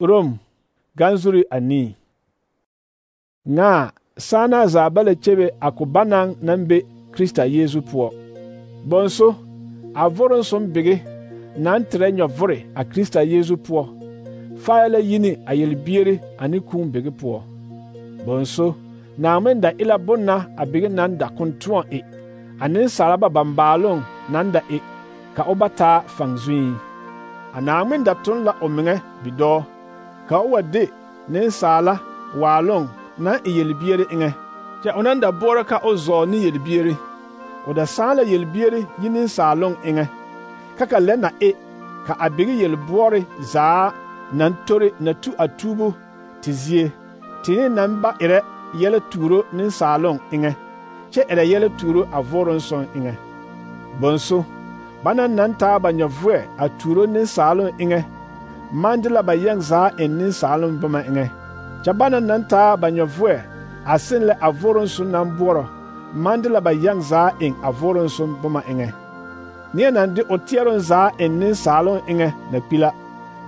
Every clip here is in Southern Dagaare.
Rom ganzuri anii. Nga sana za bala chebe ako banang nan be Krista Yesu puo. Bonso a voron som bege nan tre nyovore a Krista Yesu puo. Faala yini a yelbiere ani kun bege puo. Bonso na amenda ila bonna a bege nan da kontuan e. Anin salaba bambalong nan da e ka obata fangzui. Anamenda tun la omenge bido ka wade nin sala walong na yelbiere inge. Ja onanda bora ka ozo ni yelbiere. Oda sala yelbiere yinin salong inge. Kaka lena e ka abiri yelbuore za nan tore na tu atubu tizie. Tini namba ere yele turo nin salong inge. Che ere yele turo avoron son inge. Bonso bana nan ta banyavwe a turo nin salon inge. Mandila ba yang za en nin salon bama inge. Chabana nan ta banyavwe a sin le avoron sun nan boro. Mandila ba yang za en avoron sun bama inge. Nia nan de otieron za en nin salon inge na pila.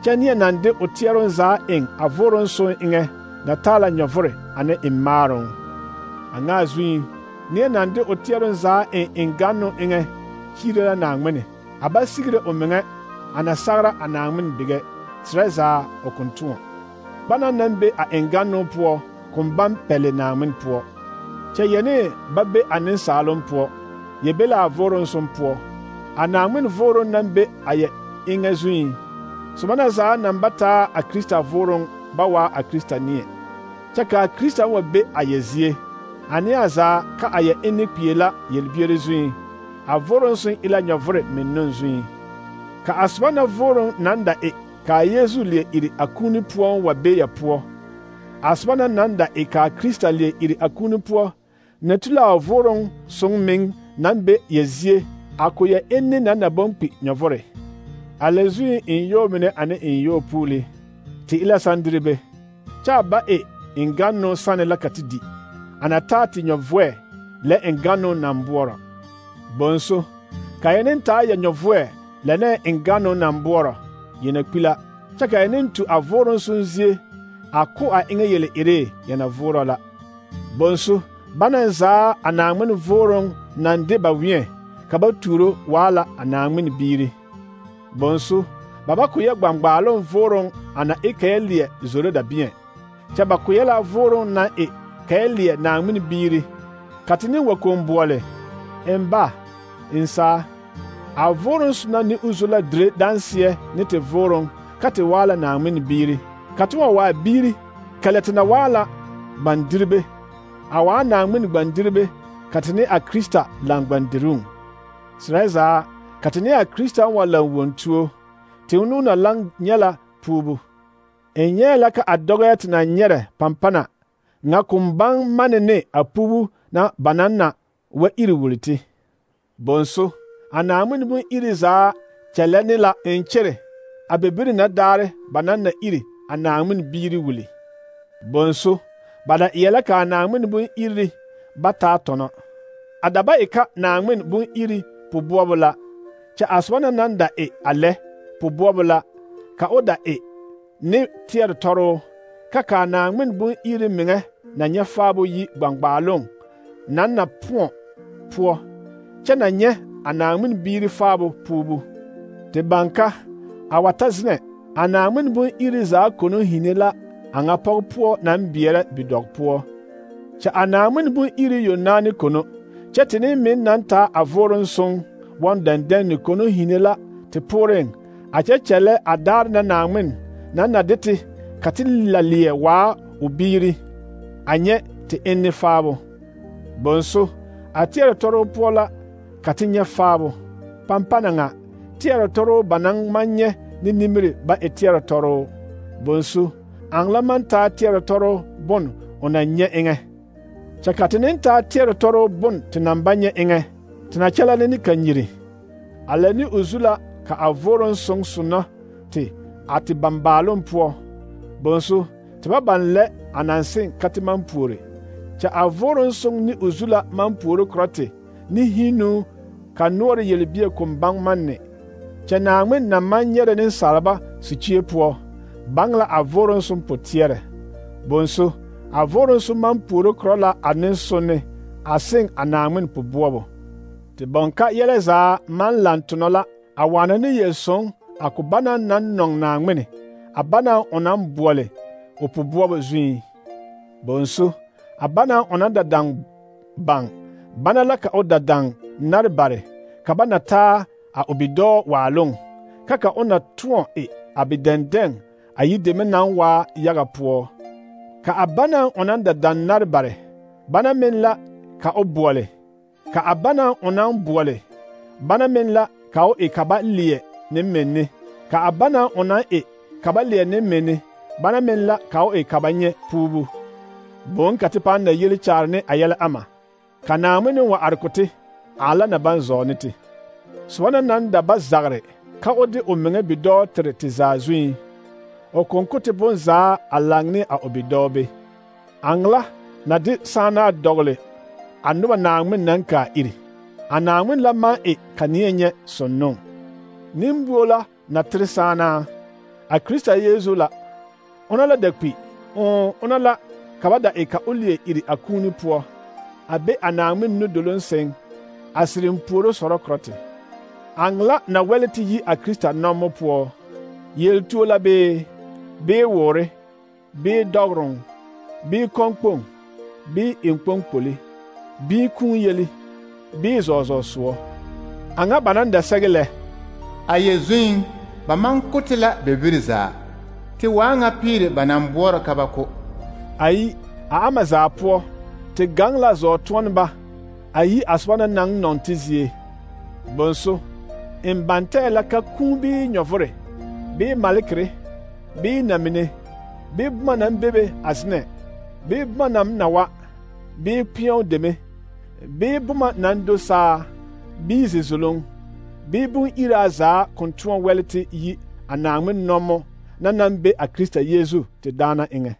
Cha nia nan de otieron za en avoron sun inge na tala nyavore ane imaron. Anga zui nia nan de otieron za en ingano inge. Chirela nangmene aba sigre omenge anasagra anangmen bige treza okuntuo bana nambe a engano puo kumbam pele nangmen puo che yene babbe anin salon puo yebela voron som puo anangmen voron nambe aye ingezui so bana za nambata a Krista voron bawa a Krista nie chaka Krista wabe ayezie ani aza ka aye enipiela yelbiere zui a voron sun ila nyavore mennon zui. Ka asbana voron nanda e ka Yesu lie iri akuni puon wa beya puo. Asbana nanda e ka Krista lie iri akuni puo. Netula voron sun ming nambe yezie akoya enne nanda bompi nyavore. Alezui in yo mene ane in yo puli. Ti ila sandribe. Cha ba e ingano sane lakatidi. Anatati nyavwe le ingano nambuora. Bonso kayenen ta ya nyovwe lene engano na mboro yena pila chaka yenen tu avoron sunzie ako a inge yele ire yana voro la bonso bananza anangmen voron nande bawien kabaturo wala anangmen biri bonso baba kuya gbangbalon voron ana ekayelie zoro da bien chaba kuyela voron na e kayelie nangmen biri katini wakomboole emba insa a voron suna ni uzula dre dansie ni te voron kate wala na amin biri katwa wa biri kaletina wala bandirbe awa na amin bandirbe katini a Krista lang bandirun sreza katini a Krista wala wontuo te unu na lang nyala pubu enyela ka adoget na nyere pampana nga kumbang manene a pubu na banana wa iri wuliti bonso anamun bun iri za chelani la enchere abebiri na dare banana iri anamun biri wuli bonso bada iyela ka anamun bun iri bata tono adaba ika namun bun iri pubuobula cha aswana nanda e ale pubuobula ka oda e ni tier toro kaka namun bun iri minge na nyafabo yi gbangbalong nanna puo chana nye anangmin biri fabo pubu te banka awatazne anangmin bun iri za kono hinela anga pogpuo nan biere bidog puo cha anangmin bun iri yonani kono chetini min nanta avoron song won danden ni kono hinela te poren achechele adar na nangmin nanna deti katilalie wa ubiri anye te enne fabo bonso atiere toro pola katinya fabo pampana nga tiara toro banang manye ni nimiri ba etiara toro bonsu angla man ta tiara toro bon onanye enge chakatinin ta tiara toro bon tinambanye enge tinachala ni kanyiri alani uzula ka avoron song suna ti ati bambalon puo bonsu tiba banle anansin katiman pure cha avoron song ni uzula man pure krote ni hinu ka nuore yelbie kumbang manne cha naangmen na manyere nin salba su chie puo bangla a vorensum potiere. Bonso, a vorensum man puoro korɔ la a nensonne a seŋ a Naawmin poboɔbo. Te bɔnka yɛlɛ zaa man lan tonɔ la a waana ne yel-sõng a ko banaŋ naŋ nɔŋ Naawmin, a banaŋ o naŋ boɔle o poboɔbo zuiŋ. Bonso, a banaŋ o naŋ da daŋ baŋ, bana la ka o da daŋ nare bare, ka ba na taa a o bidɔɔ waaloŋ, ka o na tõɔ e a bidɛndɛŋ a yideme naŋ waa yaga poɔ. Ka a banaŋ o naŋ da daŋ nare bare, bana meŋ la ka o boɔle. Ka a banaŋ o naŋ boɔle, bana meŋ la ka o e ka ba leɛ ne menne. Ka a banaŋ o naŋ e ka ba leɛ ne menne, bana meŋ la ka o e ka ba nyɛ puubu. Boŋ ka te pãã na yeli kyaare ne a yɛlɛ ama. Ka Naawmin wa are ko te, a la na baŋ zɔɔ ne te. Soba na naŋ da ba zagre ka o de o meŋa bidɔɔ tere te zaa zuiŋ, o konko te bonzaa a laŋ ne a o bidɔɔ be. Aŋla na de sããnaa dɔgele a noba Naawmin naŋ kaa iri. A Naawmin la maŋ e ka neɛ nyɛ sonnoo. Nimbuo la na tere sããnaa. A Krista Yeezu la. Ona la da kpi, ona la ka ba da e ka o leɛ iri a kuuni poɔ, a be a Naawmin nudoloŋ seŋ, a sireŋ puoro sɔrɔ korɔ te. Aŋla na wɛle te yi a Krista nɔmmo poɔ, yeltuo la bee woore, bee dɔgoroŋ, bee kɔnkpoŋ, bee eŋkpoŋkpoli, bee kũũ yeli, bee zɔɔzɔɔ soɔ. A ŋa ba naŋ da sɛge lɛ: a yɛ zuiŋ ba maŋ ko te la bebiri zaa, te waa ŋa piiri ba naŋ boɔrɔ ka ba ko. Ayi, a ama zaa poɔ, te gaŋ la zɔɔ-tõɔneba a yi a soba na naŋ nɔŋ te zie. Bonso, n bantɛɛ la ka kũũ bee nyɔvore, bee malekere, bee namine, bee boma naŋ bebe a zenɛ, bee boma naŋ na wa, bee kpeɛo deme, bee boma naŋ do saa, bee zizoloŋ, bee bon-iraa zaa kõn tõɔ wɛle te yi a Naawmin nɔmmo na naŋ be a Krista Yeezu te daana eŋɛ.